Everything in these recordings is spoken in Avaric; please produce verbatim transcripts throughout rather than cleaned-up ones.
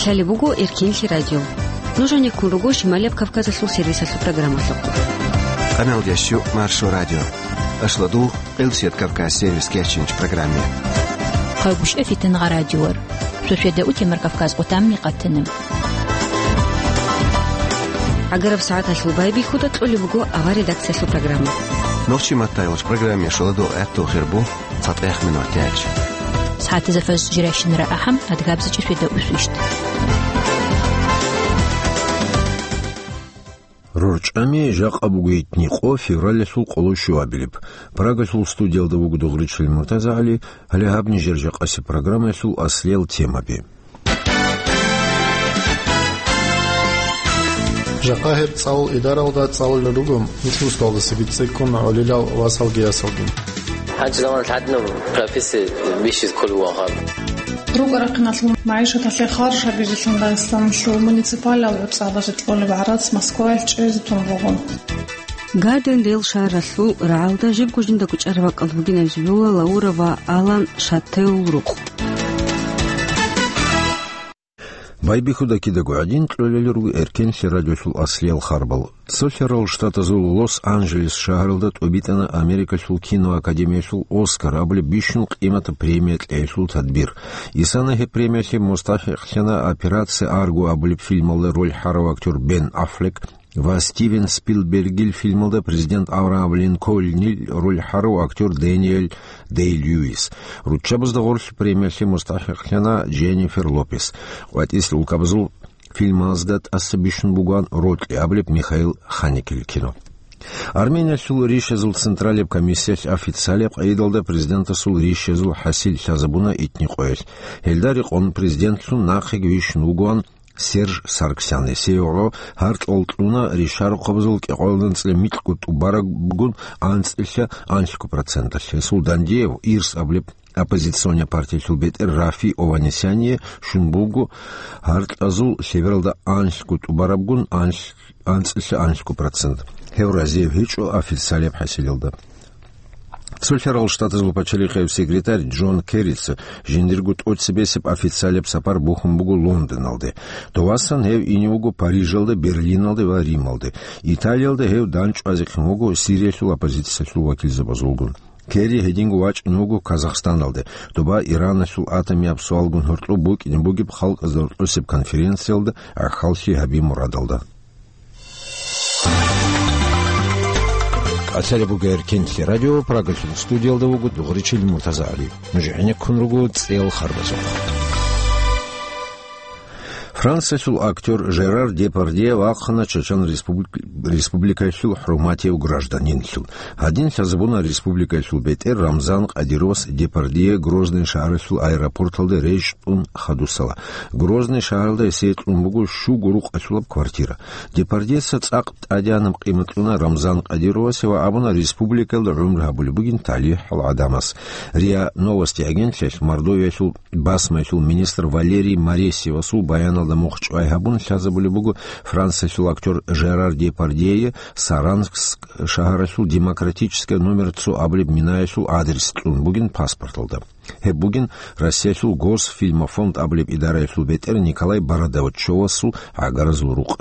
Цали буго Эркенлъи радио. Нуж гьанеккун руго Шималияб Кавказалъул сервисалъул программалъухъ. Къаналдящу Маршо радио. Ашладул Къилсият Кавказ сервис кечинч программе. Хъагушев Фитнагъа радиор. Суседа утемар Кавказ къутамми къатана. ГӀагараб сагӀаталъул байбихьуда кьолеб буго авар редакциялъул программа. Нохчи маттайвач программе шоладо гӀатту хирбу. ЦатӀехъ минут гьечӀ. СагӀатизе фаз жирайщинара ахӀам, адгабзичӀи светаусвищ. РорчӀами жакъа буго итни къо февралалъул къоло щуабилеб. Прагалъул студиялда вуго Дугъричил МуртазагӀали, гьале гьаб нижер жакъасеб программаялъул аслиял темаби. Жакъа гьеб цӀалул идаралда цӀалулел руго нилъ русдалдаса бицӀцӀиккун гӀолилал васалги ясалги. ГьанчӀ заманалъ гьадинаб профессия бищизе кколев вугӀан. РукӀа-рахъиналъул магӀишаталъе харж гьабизе Дагъистаналъул муниципалал гӀуцӀаразде кьолеб гӀарац Москваялъ чӀезе тун буго. Гарден-Дейл шагьаралъул рагӀалда жибго жиндаго чӀараб бакӀалда бугин абизе бегьула Лаура ва Алан Шаттелул рукъ. Байбихьуда кидаго гӀадин кьолел руго Эркенлъи радиолъул аслиял харбал. Цо лъарал штатазул Лос-Анджелес шагьаралда тӀубитӀана Америкалъул киноакадемиялъул Оскар абулеб бищун къиматаб премия кьеялъул тадбир. Исана гьеб премиялъе мустахӀикълъана «Операция Арго» абулеб фильмалда роль гьарав актер Бен Аффлек, ва Стивен Спилбергил фильмалда президент Авраам Линкольнил роль гьарав актер Дэниел Дэй-Льюис. Руччабазда гъорлъ премиялъе мустахӀикълъана Дженнифер Лопес. КъватӀислъи улкабазул фильмазда тӀаса бищун бугоан рокьи абулеб Михаил Ханекел кино. Армениялъул ришазул централияб комиссиялъ официалияб къайдалда президентасул ришазул хӀасил лъазабуна итни къоялъ. Гьелда рекъон президентлъун нахъеги вищун вугоан Серж Саргсян. Гьесие гӀоло гьаркьал кьуна ришарухъабазул кӀикъоялда анцӀила микьго тӀубарабгун анцӀила анлъго проценталъ. Гьесул дандие ирс абулеб оппозиционный партиялъул бетӀер Рафи Ованесяне щун буго гьаркьазул лъебералда анлъго тӀубарабгун анлъ-, анцӀила анлъго процент. Гьев разияб гьечӀо официалияб хӀасилалда. Цо лъарал штатазул пачалихъияб секретарь Джон Керрица жиндирго тӀоцебесеб официалияб сапар бухьун буго Лондоналде. Довасан гьев ине вуго Парижалде, Берлиналде ва Рималде. Италиялда гьев дандчӀвазехъин вуго Сириялъул оппозициялъул вакилзабазулгун. Керри гьединго вачӀун вуго Казахстаналде, доба Ираналъул атомияб суалгун гьоркьоб букӀине бугеб халкъазда гьоркьосеб конференциялда гӀахьаллъи гьаби мурадалда. Къасалеб бугер Кинлъи радио, Прагалъул студиялда вуго Дугъричил МуртазагӀали. Нуж гӀенеккун руго цӀел харбазухъ. Франциялъул актер Жерар Депардье вахъана Чечен Республи-, Республикаялъул хӀурматияв гражданинлъун. Гьадин лъазабуна республикаялъул бетӀер Рамзан Кадировас Депардье Грозный шагьаралъул аэропорталда рещтӀун хадусала. Грозный шагьаралда гьесие кьун буго щуго рукъалъулаб квартира. Депардьеца цӀакъ тӀадегӀанаб къимат кьуна Рамзан Кадировасе ва абуна республикаялда гӀумру гьабулеб бугин талихӀал гӀадамас. РИА Новости агентлъиялъ Мордовиялъул басмаялъул министр Валерий Моресьевасул баяналда мухъ чӀвай гьабун лъазабулеб буго Франциялъул актер Жерар Депардьее Саранск шагьаралъул Демократическая номер цо абулеб минаялъул адрес кьун бугин паспорталда. Гьеб бугин Россиялъул Госфильмофонд абулеб идараялъул бетӀер Николай Бородачевасул гӀагаразул рукъ.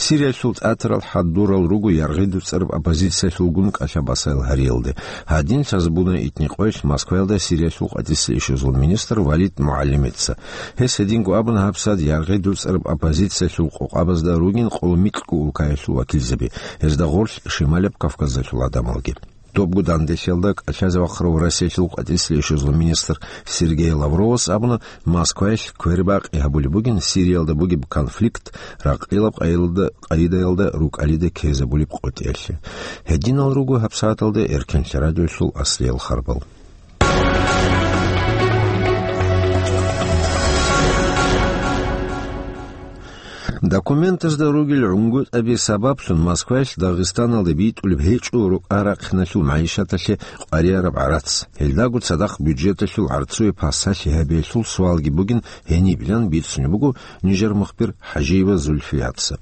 Сириялъул тӀатарал хӀадурал руго яргъи дуцӀараб оппозициялъулгун кӀалъа-басаял гьариялде. Гьадин лъазабуна итни къоялъ Москваялда Сириялъул къватӀиса ишазул министр Валид МугӀалимица. Гьес гьединго абуна гьабсагӀат яргъи дуцӀараб оппозициялъул къокъабазда ругин къоло микьго улкаялъул вакилзаби, гьезда гъорлъ Шималаб Кавказалъул гӀадамалги. Добго данделъиялда кӀалъазе вахъарав Россиялъул къватӀиса ишазул министр Сергей Лавровас абуна, Москваялъ квербакъи гьабулеб бугин Сириялда бугеб конфликт ракъилаб къайилда-, къайдаялда рукӀалида ккезабулеб къотӀиялъе. Гьединал руго гьабсагӀаталда Эркенлъи радиоялъул аслиял харбал. Документазда ругел гӀунгутӀаби сабаблъун Москваялъ Дагъистаналде битӀулеб гьечӀо рукӀа-рахъиналъул магӀишаталъе къварияраб гӀарац. Гьелдаго цадахъ бюджеталъул гӀарцуе пасалъи гьабиялъул суалги бугин гьенибилан бицунеб буго нижер мухбир ХӀажиева Зульфияца.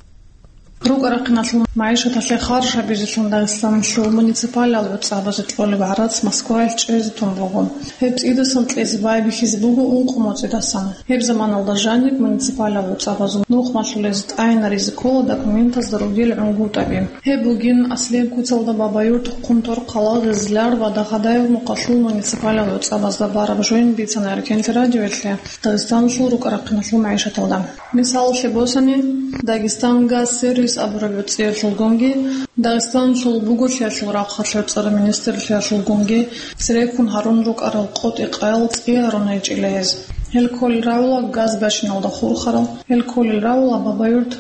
РукӀа-рахъиналъул магӀишаталъе харж гьабизелъун Дагъистаналъул муниципалал гӀуцӀабазе кьолеб гӀарац Москваялъ чӀезе тун буго. Гьеб цӀидасан кьезе байбихьизе буго ункъо моцӀидасан. Гьеб заманалда жаниб муниципалал гӀуцӀабазул нухмалъулез тӀайнаризе ккола документазда ругел гӀунгутӀаби. Гьеб бугин аслияб куцалда Бабаюрт, Хъунторхъала, Гъизлар ва Дахадаев мухъалъул муниципалал гӀуцӀабазда бараб жойин бицана Эркенлъи радиоялъе Дагъистаналъул рукӀа-рахъиналъул магӀишаталда. Мисалалъе босани, Дагестан газ сервис абураб гӀуцӀиялъулгунги, Дагъистаналъул буголъиялъул рахъалъ гӀуцӀараб министрлъиялъулгунги цереккун гьарун рукӀарал къотӀи-къаял цӀи гьарун гьечӀила гьез. Гьел кколел равила газ бачиналда хурхарал, гьел кколел равила Бабаюрт,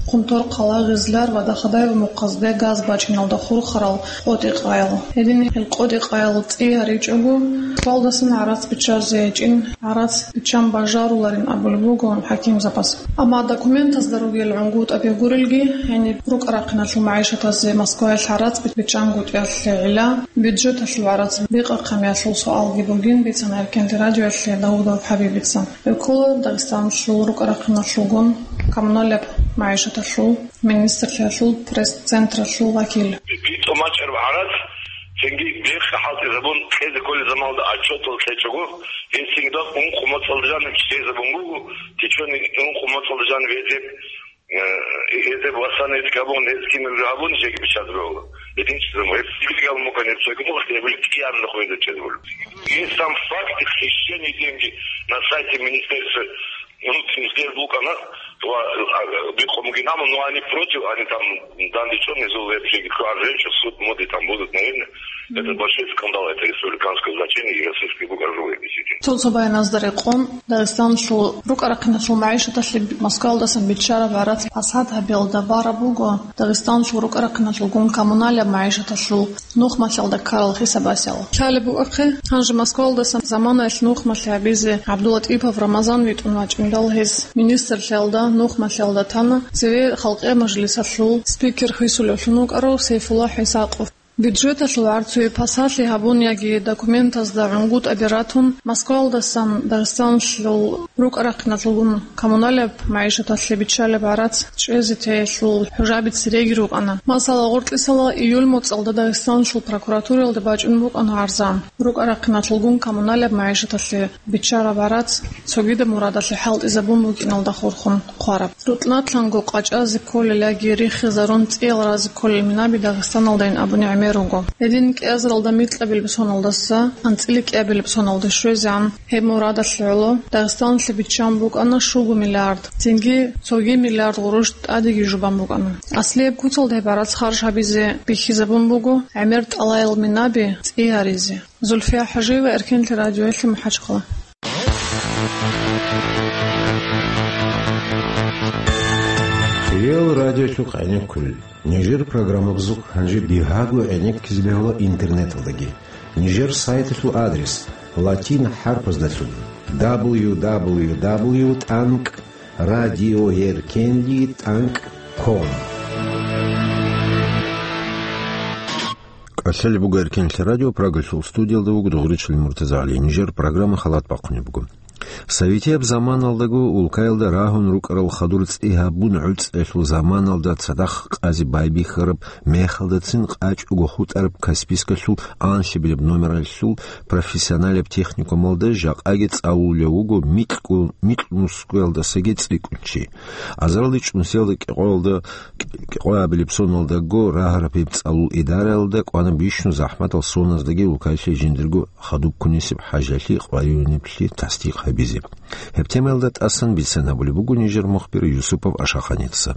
Хъунторхъала, Гъизлар ва Дахадаев мухъазде газ бачиналда хурхарал къотӀи-къаял. Гьедин гьел къотӀи-къаял цӀи гьаричӀого, Москвалдасан гӀарац биччазе гьечӀин, гӀарац биччан бажаруларин абулеб буго хӀакимзабаз. Амма документазда ругел гӀунгутӀаби гурелги, гьениб рукӀа-рахъиналъул магӀишатазе Москваялъ гӀарац биччангутӀиялъе гӀилла, бюджеталъул гӀарац бикъахъамиялъул суалги бугин бицана Эркенлъи радиоялъе Давудов ХӀабибица. Гьев ккола Дагъистаналъул рукӀа-рахъиналъулгун коммуналаб магӀишаталъул министрлъиялъул пресс-централъул вакил. БитӀун бачӀараб гӀарац, цинги бехъ хӀалтӀизабун кьезе кколел заманалда отчетал кьечӀого, гьесингда ункъо моцӀалда жаниб чӀезабун буго, течение ункъо моцӀалда жаниб гьезеб, э, гьезеб васана гьезги гьабун, гьез кинаб гьабун, жеги биччазе бегьула. ГьединчӀеб гьеб легал мукъаниб цойги мухъ гьеб кӀияб нухуйда чӀезабула. Есть там факты хищения деньги на сайте министерства. Ну, там сдер букана, то, а, а, бикъо мугинамо, но они против, они там данный чёрный зол вообще, кто арженчик, суд моды там будут, наверное. Это большой скандал, это республиканское значение, и российский бук аржу действительно. Цо-цо баяназда рекъон, Дагъистаналъул рукӀа-рахъиналъул магӀишаталъе Москвалдасан биччараб гӀарац пасад гьабиялда бараб буго, Дагъистаналъул рукӀа-рахъиналъулгун коммуналаб магӀишаталъул нухмалъалда ккарал хисабасел. Лъалеб букӀахъе, гьанже Москвалдасан заманаялъ нухмалъи гьабизе ГӀабдулатӀипов Рамазан витӀун вачӀиндал гьес министрлъиялда нухмалъиялда тана цеве Халкъиял мажлисалъул спикер хисулевлъун вукӀарав Сейфулла ХӀисакъов. Бюджеталъул гӀарцуе пасалъи гьабун яги документазда гӀунгутӀаби ратун, Москвалдасан Дагъистаналъул рукӀа-рахъиналъулгун коммуналаб магӀишаталъе биччалеб гӀарац чӀезе теялъул хӀужаби цереги рукӀана. Масала, гъоркьисала июль моцӀалда Дагъистаналъул прокуратураялда бачӀун букӀана гӀарза. РукӀа-рахъиналъулгун коммуналаб магӀишаталъе биччараб гӀарац цогидаб мурадалъе хӀалтӀизабун букӀиналда хурхун хъвараб. РутӀнатлъанго къачӀазе кколел яги риххизарун цӀиял разе кколел минаби Дагъистаналдайин абуни гӀемер руго. Гьедин кӀиазаралда микьабилеб соналдаса анцӀила кӀиабилеб соналде щвезегӀан гьеб мурадалъе гӀоло Дагъистаналъе биччан букӀана щуго миллиард, цинги цоги миллиард гъурущ тӀадеги жубан букӀана. Аслияб куцалда гьеб гӀарац харж гьабизе бихьизабун буго гӀемер тӀалаял минаби цӀи гьаризе. Зульфия ХӀажиева, Эркенлъи радиоялъе, МахӀачхъала. Хириял радиолъухъ гӀенеккулел. Нижер программабазухъ гьанже бигьаго гӀенеккизе бегьула интернеталдаги. Нижер сайталъул адрес латин хӀарпаздалъун: дабл ю дабл ю дабл ю тӀанкӀ радиоеркенли тӀанкӀ ком. КӀалъалеб буго Эркенлъи радио, Прагалъул студиялда вуго Дугъричилин МуртазагӀали. Нижер программа халат бахъунеб буго. Советияб заманалдаго улкаялда рагьун рукӀарал хадур цӀи гьабун гӀуцӀиялъул заманалда цадахъ къазе байбихьараб мехалдацин къачӀого хутӀараб Каспийскалъул анлъабилеб номералъул профессионалияб техникумалда жакъаги цӀалулев вуго микьго-, микьнусгоялдасаги цӀикӀкӀун чи. Азаралде чӀунсиялда кӀикъоялда, кӀикъоябилеб соналдаго рагьараб гьеб цӀалул идараялда кӀвана бищун захӀматал соназдаги улкаялъе жиндирго хадуб ккунесеб хӀажалъи къваригӀунеблъи тасдикъ гьабизе. Гьеб темаялда тӀасан бицен гьабулеб буго нижер мухбир Юсупов Ашаханица.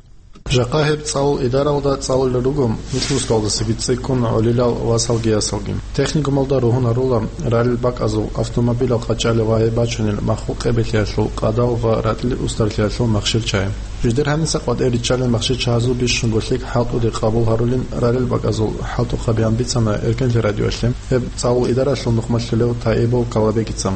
Жакъа гьеб цӀалул идаралда цӀалулел руго микьнусгалдасаги цӀикӀкӀун гӀолилал васалги ясалги. Техникумалда ругьун гьарула ралел бакӀазул, автомобилал къачӀалел ва гьеб бачунел маххул къебелъиялъул къадал ва ракьлил устарлъиялъул махщел-чагьи. Жидер гьаниса къватӀир риччалел махщел-чагьазул бищунго лъикӀ хӀалтӀуде къабул гьарулин ралел бакӀазул хӀалтӀухъабигӀан бицана Эркенлъи радиоялъе гьеб цӀалул идаралъул нухмалъулев Таибов Калабегица.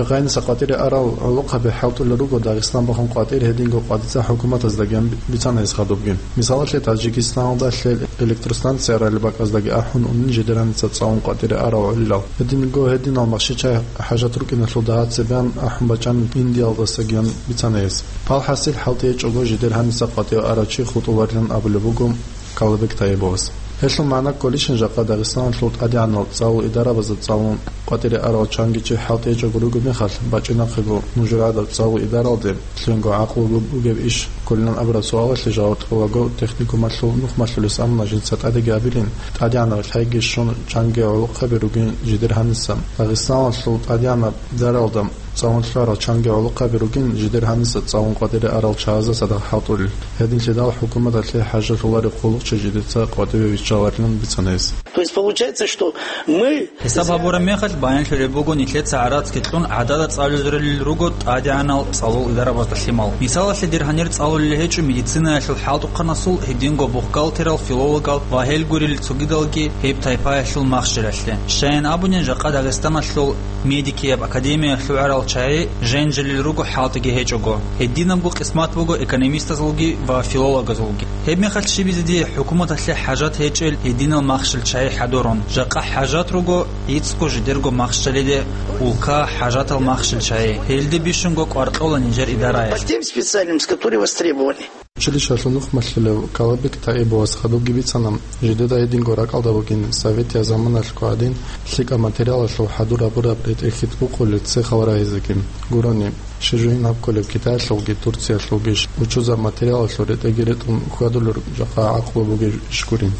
Гъайниса къватӀире арал гӀолохъаби хӀалтӀулел руго Дагъистан бахун къватӀир гьединго къватӀица хӀукуматаздаги бицана гьес хадубги. Мисалалъе, Таджикистаналда лъел электростанция арали бакӀаздаги ахӀун унин жидер гьаниса цӀалун къватӀире арал гӀолилал. Гьединго гьединал махщел-чай хӀажат рукӀиналъул дагьа цебе ахӀун бачӀанин Индиялдасаги бицана гьес. Пал хӀасил хӀалтӀи гьечӀого жидер гьаниса къватӀиве арав чи хутӀуларилан абулеб буго Калабек Таибовас. Гьелъул магӀна кколищин жакъа Дагъистаналъул тӀадегӀанал цӀалул идарабазда цӀалун къватӀире арал чанги чи хӀалтӀи гьечӀого ругеб мехалъ, бачӀинахъего нужер гӀадаб цӀалул идаралде лъугьинго гӀакълу бугеб иш кколилан абураб суалалъе жаваб кьолаго техникумалъул нухмалъулес амма жинца тӀадеги абилин, тӀадегӀанаб лъайги щун чанги гӀолохъаби ругин жидер гьаниса. Дагъистаналъул тӀадегӀанаб идаралда цӀалун лъугьарал чанги гӀолохъаби ругин жидер гьаниса цӀалун къватӀире арал чагӀазда цадахъ хӀалтӀулел. Гьединлъидал хӀукуматалъе хӀажалъулареб хъулухъчи жидеца къватӀиве виччаларилан бицана гьес. То есть получается, что мы... Гьисаб гьабураб мехалъ, баянлъулеб буго, нилъеца гӀарацги кьун гӀадада цӀалулел руго тӀадегӀанал цӀалул идарабазда лъимал. Мисалалъе, дир гьанир цӀалулел гьечӀо медицинаялъул хӀалтӀухъанасул, гьединго бухгалтерал, филологал ва гьел гурел цогидалги гьеб тайпаялъул махщелалъе. Щайин абунин, жакъа Дагъистаналъул медикияб академиялъ лъугӀарал чагӀи женжелел руго хӀалтӀиги гьечӀого. Гьединабго къисмат буго экономистазулги ва филологазулги. Гьеб мехалъ щибизе дие хӀукуматалъе хӀажат гьечӀел гьединал махщел чагӀи хӀадурун. Жакъа хӀажат руго гӀицӀго жидерго махщелиде, улка хӀажатал махщел чагӀи. Гьелде бищунго кӀвар кьола нижер идараялъ. По тем специальностям, которые востребованы. Училищалъул нухмалъулев Калабек Таибовас хадубги бицана, жидеда гьединго ракӀалда бугин советияб заманалъго гӀадин лъикӀаб материалалъул хӀадур гьабураб ретӀел хьитӀбукъулел цехал рагьизеги. Гурони, щиб жугьин гьаб кколеб Китаялъулги Турциялъулги учузаб материалалъул ретӀелги ретӀун хьвадулел жакъа гӀакълу бугеб иш гури.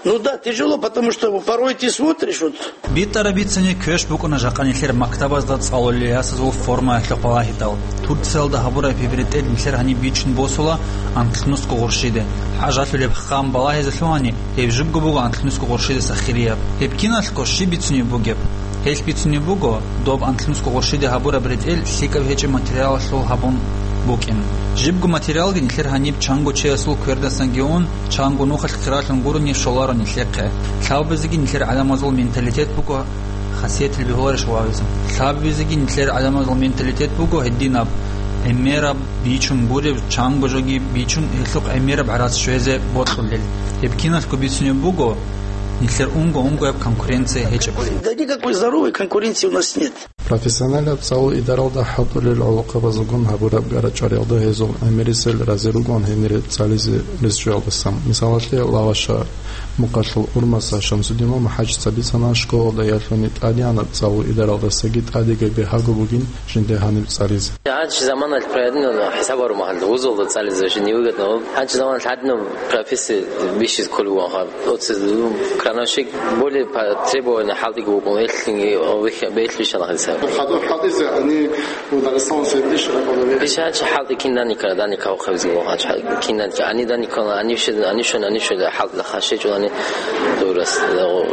Ну да, тяжело, потому что порой ты смотришь, вот. БитӀараб бицани квеш букӀуна жакъа нилъер мактабазда цӀалулел ясазул формаялъухъ балагьидал. Турциялда гьабураб гьеб ретӀел нилъер гьаниб бичун босула анлънусго гъурщиде. ХӀажалъулеб хъан балагьизе лъугьани, гьеб жибго буго анлънусго гъурщидаса хирияб. Гьеб киналъго щиб бицунеб бугеб? Гьелъ бицунеб буго, доб анлънусго гъурщиде гьабураб ретӀел лъикӀаб гьечӀеб материалалъул гьабун букӀин. Жибго материалги нилъер гьаниб чанго чиясул квердасанги ун, чанго нухалъ хиралъун гурони щоларо нилъехъе. Лъабабизеги нилъер гӀадамазул менталитет буго, хасиятил бегьуларищ вавизе. Лъабабизеги нилъер гӀадамазул менталитет буго гьединаб, гӀемераб, бичун гуреб, чанго жоги бичун, гьелъухъ гӀемераб гӀарац щвезе бокьулел. Гьеб киналъго бицунеб буго, нилъер унго-унгояб конкуренция гьечӀеб. Да никакой здоровой конкуренции у нас нет. Профессионалаб цӀалул идаралда хӀалтӀулел гӀолохъабазулгун гьабураб гара-чӀвариялда гьезул гӀемерисел разе ругон гьенире цӀализе рес чӀвалдасан. Мисалалъе, Лаваша мукъалъул Урмаса Шамсудинов МухӀажица бицана, школалда ялъуни тӀадегӀанаб цӀалул идаралдасаги тӀадеги бигьаго бугин жинде гьаниб цӀализе. Гьанчи заманалъ проявлено хӀисаб гьарун гьанже вузалда цӀализе жиндие выгодно. Гьанчи заманалъ гьадинаб профессия бищизе кколеб бугоха. Оце, ну, крановщик более по требованию хӀалтӀиги вукӀун, элъинги, о, вихьа-, белъ бищана гьадиса. Хадур хӀалтӀизе, они, ну, Дагъистаналъ бищ ракӀалда ве- Бищ гьанчи хӀалтӀи кин дани кара, дани кавхъабизе вугоха, гьанчи хӀалтӀи кин дани ка-, ани дани кона, ани щед-, ани щон, ани щед, хӀалтӀи хашечӀо, ани дурас,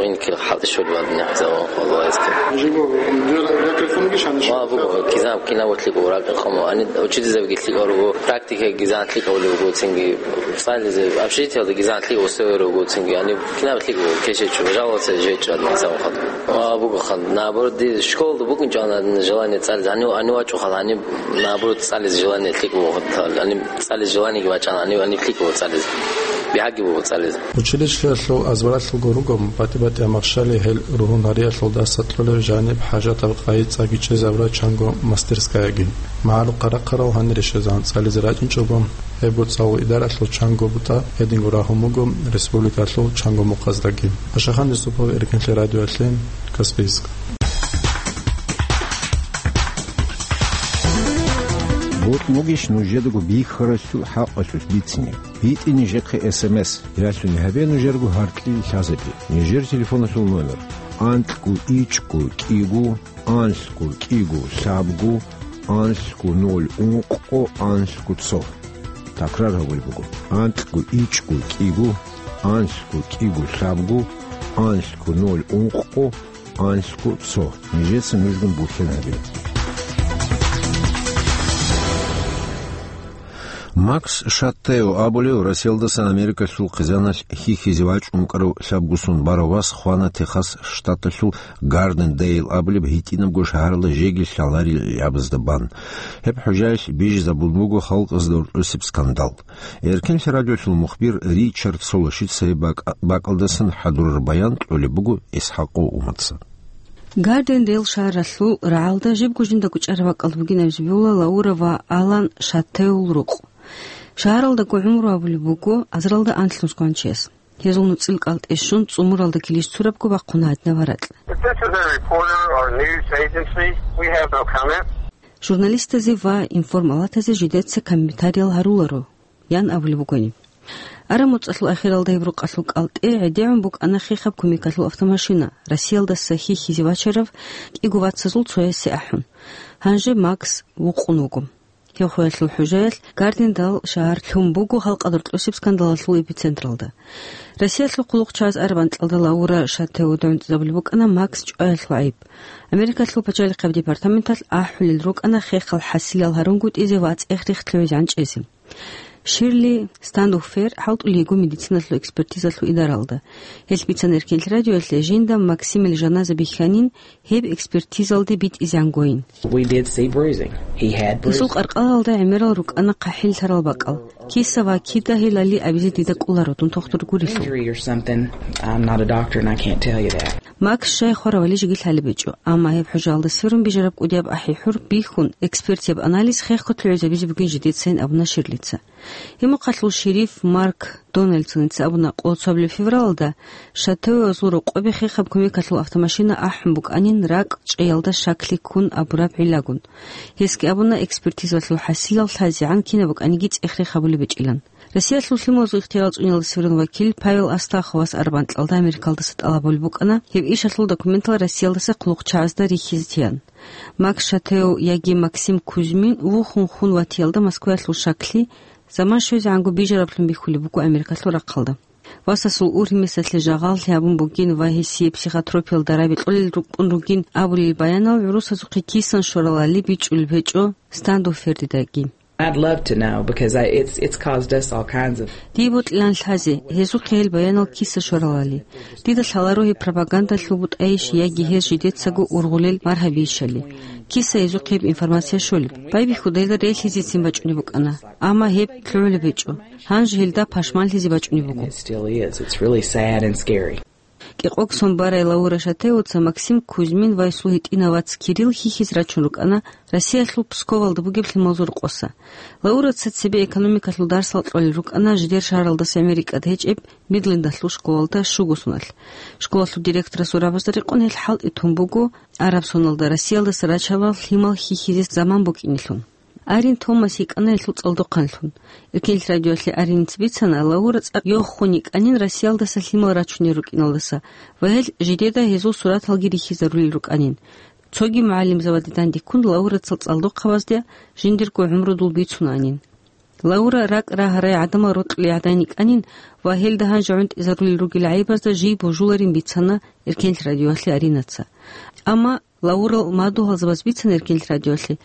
инкил хӀалтӀи щолеб гьадин хӀисаб гьарун гьалаизе. Жибо, вера-, вера телефонги шани шо? Ва, буго, кизаб, кинаб лъикӀ урагӀ къамо, ани учительзабги лъикӀ руго, практика кизан лъикӀ гьавулев вуго цинги, цӀализе, общежитиялда кизан лъикӀ усеве руго цинги, ани кинаб лъикӀ вуго, кешечӀо, жаловаться жечӀо, ани хӀисаб гьарун. Ва, буго хан, наоборот, ди школалда букӀинчӀо ана желание цӀализе, ани, ани вачӀо хал, ани, наоборот, цӀализе желание лъикӀ вуго, ани цӀализе желаниеги вачӀана, ани, ани лъикӀ вуго цӀализе. Бигьаги буго цӀализе. Училищеялъул азбаралъулго руго батӀи-батӀияб махщали гьел ругьун гьариялъулдаса кьолеб жаниб хӀажатаб къайи цӀаги чӀезабураб чанго мастерскаяги. МагӀарухъа рахъарал гьанире щвезегӀан цӀализе рачӀинчӀого, гьебго цӀалул идаралъул чанго бутӀа гьединго рагьун буго республикалъул чанго мухъаздаги. Ашахан Юсупов, Эркенлъи радиоялъе, Каспийск. Бокьугищ нужедаго бихьаралъул хӀакъалъулъ бицине? БитӀи нижехъе эс эм эс. Ялъуни гьабе нужерго гьаркьил лъазабе. Нижер телефоналъул номер: анкьго ичӀго кӀиго, анлъго кӀиго лъабго, анлъго ноль ункъго, анлъго цо. Такрар гьабулеб буго: анкьго ичӀго кӀиго, анлъго кӀиго лъабго, анлъго ноль ункъго, анлъго цо. Нижеца нужгун бухьен гьабе. Макс Шаттео абулев Россиялдасан Америкалъул хъизаналъ хьихьизе вачӀун вукӀарав лъабгусун барав вас хвана Техас штаталъул Гардендейл абулеб гьитӀинабго шагьаралда жеги лъаларел ябазда бан. Гьеб хӀужаялъ бижизабун буго халкъазда уркьусеб скандал. Эркенлъи радиолъул мухбир Ричард Солошица гьеб бакӀ-, бакӀалдасан хӀадурар баян кьолеб буго ИсхӀакъов Умаца. Гардендейл шагьаралъул рагӀалда жибго жинда гучӀараб бакӀалда бугинаб Зибиула Лаура ва Алан Шаттеул рукъ. Шагьаралдаго гӀумру абулеб буго азаралда анлънусго гьанчияс. Гьезул нуцӀил кӀалтӀе щун, цӀумуралда килищ цурабго бахъуна гьадинаб гьаракь. If this is a reporter or news agency, we have no comment. Журналистазе ва информалатазе жидеца комментариял гьаруларо, ян абулеб бугони. Араб муцӀалъул ахиралда гьеб рукъалъул кӀалтӀе гӀедегӀун букӀана хехаб кумекалъул автомашина, Россиялдаса хьихьизе вачарав кӀиго вацазул цоясе ахӀун. Гьанже Макс вукъун вуго. Гьев хвеялъул хӀужаялъ Гардендейл шагьар лъун буго халкъалда уркьусеб скандалалъул эпицентралда. Россиялъул хъулухъчагӀаз араб анкьалда Лаура Шаттео дагӀунтӀизабулеб букӀана Макс чӀваялъул гӀайиб. Америкалъул пачалихъаб департаменталъ ахӀулел рукӀана хехал хӀасилал гьарунгутӀизе ва цӀех-рех лъугӀизе гӀанчӀезе. Ширли Стануфер хӀалтӀулей йиго медициналъул экспертизалъул идаралда. Гьелъ бицана Эркенлъи радиоялъе, жинда Максимил жаназа бихьанин, гьеб экспертизалде битӀизегӀан гойин. We did see bruising. He had bruises. Гьесул къаркъалалда гӀемерал рукӀана хъахӀиллъарал бакӀал. Киса ва кида гьелали абизе дида кӀоларо, дун тухтур гурелъул. Injury or something. I'm not a doctor and I can't tell you that. Макс щай хваравали жеги лъалеб гьечӀо, амма гьеб хӀужаялда сверун бижараб кӀудияб ахӀи-хӀур бихьун, экспертияб анализ хехго лъугӀизабизе бугин жидецайин абуна Ширлица. Гьеб мухъалъул шериф Марк Дональдсоница абуна, къоло цоабилеб февралалда Шаттеоязул рокъобе хехаб кумекалъул автомашина ахӀун букӀанин ракӀ чӀеялда щаклъи ккун абураб гӀиллагун. Гьесги абуна, экспертизалъул хӀасилал лъазегӀан кинаб букӀаниги цӀех-рех гьабулеб гьечӀилан. Россиялъул лъималазул ихтияр цӀуниялда сверун вакил Павел Астаховас араб анкьалда Америкалдаса тӀалаб гьабулеб букӀана гьеб ишалъул документал Россиялдаса хъулухъчагӀазда рихьизе тиян. Макс Шаттео яги Максим Кузьмин вухун хун ватиялда Москваялъул щаклъи заман щвезегӀанго бижараблъун бихьулеб буго Америкалъул рахъалда. Васасул ургьимесалъе жагъаллъи гьабун бугин ва гьесие психотропиял дараби кьолел рукӀун ругин абулел баянал гӀурусазухъе кисан щваралали бичӀчӀулеб гьечӀо Стануфердидаги. I'd love to know because I, it's, it's caused us all kinds of. Дие бокьилан лъазе, гьезухъе гьел баянал киса щваралали. Дида лъаларо гьеб пропагандалъул бутӀайищ яги гьез жидецаго ургъулел маргьабийищали. Киса гьезухъе гьеб информация щолеб. Байбихьудайда релълъизецин бачӀунеб букӀана, амма гьеб лъугӀулеб гьечӀо. Гьанже гьелда пашманлъизе бачӀунеб буго. It still is. It's really sad and scary. КӀикъогсон барай Лаура Шаттеоца Максим Кузьмин ва гьесул гьитӀинав вац Кирилл хьихьизе рачун рукӀана Россиялъул Псковалда бугеб лъималазул рокъоса. Лаураца цебе экономикалъул дарсал кьолел рукӀана жидер шагьаралдаса гӀемер рикӀкӀад гьечӀеб Мидлендалъул школалда щуго соналъ. Школалъул директорасул рабазда рекъон гьел хӀалтӀи тун буго араб соналда Россиялдаса рачарал лъимал хьихьизе заман букӀинелъун. Арин Томас йикӀана гьелъул цӀалдохъанлъун. Эркенлъи радиоялъе Ариница бицана, Лаура цӀакъ йохун йикӀанин Россиялдаса лъимал рачунел рукӀиналдаса ва гьел жидеда гьезул сураталги рихьизарулел рукӀанин. Цоги мугӀалимзабаде дандеккун Лаурацал цӀалдохъабазде жиндирго гӀумрудул бицунаанин. Лаура ракӀ рагьарай гӀадамал рокьулей гӀадин йикӀанин ва гьелда гьанже гӀунтӀизарулел ругел гӀайибазда жий божуларин бицана Эркенлъи радиоялъе Аринаца. Амма Лаурал мадугьалзабаз бицана Эркенлъи радиоялъе,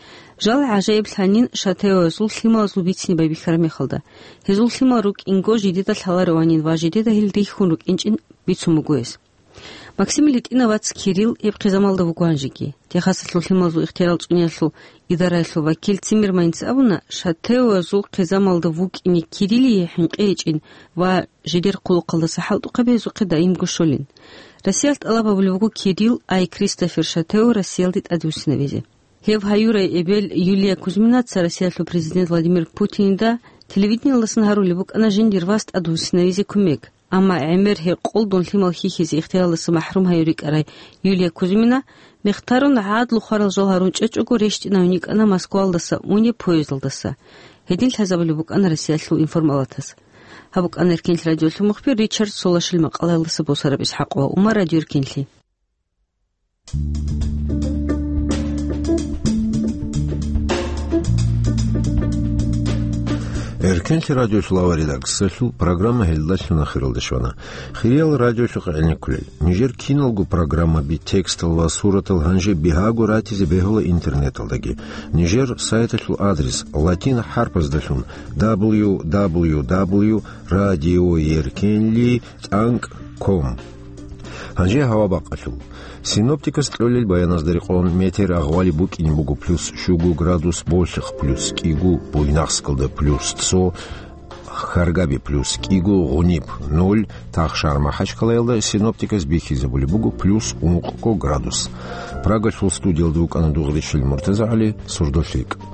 жал гӀажаиблъанин Шаттеоязул лъималазул бицине байбихьараб мехалда. Гьезул лъимал рукӀинго жидеда лъаларованин ва жидеда гьел рихьун рукӀинчӀин бицун буго гьес. Максимил гьитӀинав вац Кирилл гьеб хъизамалда вуго гьанжеги. Техасалъул лъималазул ихтиярал цӀуниялъул идараялъул вакил Циммерманица абуна, Шаттеоязул хъизамалда вукӀине Кириллие хӀинкъи гьечӀин ва жидер хъулухъалдаса хӀалтӀухъаби гьезухъе даимго щолин. Россиялъ тӀалаб гьабулеб буго Кирилл ай Кристофер Шаттео Россиялде тӀадвуссинавизе. Гьев гьаюрай эбел Юлия Кузьминаца Россиялъул президент Владимир Путинида телевидениялдасан гьарулеб букӀана жиндир вас тӀадвуссинавизе кумек, амма гӀемер гьекъолдун лъимал хьихьизе ихтияралдаса махӀрум гьаюр рикӀкӀарай Юлия Кузьмина мехтарун гӀадлу хварал жал гьарун чӀечӀого рещтӀинавин йикӀана Москвалдаса унеб поездалдаса. Гьедин лъазабулеб букӀана Россиялъул информалатас. Гьаб букӀана Эркенлъи радиолъул мухбир Ричард Солашил макъалаялдаса босараб ИсхӀакъ ва Умар радиоэркенлъи. Кенлъи радиолъул авария дагсалъул программа гьелдалъун ахиралде щвана. Хириял радиолъухъ гӀенеккулел. Нижер киналго программаби, текстал ва суратал гьанже бигьаго ратизе бегьула интернеталдаги. Нижер сайталъул адрес латин хӀарпаздалъун: дабл ю дабл ю дабл ю радиоеркенли тӀанкӀ ком. Гьанже гьава бакъалъул. Синоптикас кьолел баяназда рекъон метер агъвали букӀине буго плюс щуго градус Болъихъ, плюс кӀиго Буйнакскалда, плюс цо Харгаби, плюс кӀиго Гъуниб, нуль Тахшар-Махачкалаялда. Синоптикас бихьизабулеб буго плюс ункъго градус. Прагалъул студиялда вукӀана Дугъришил МуртазагӀали, Сурдолъ рикӀкӀ.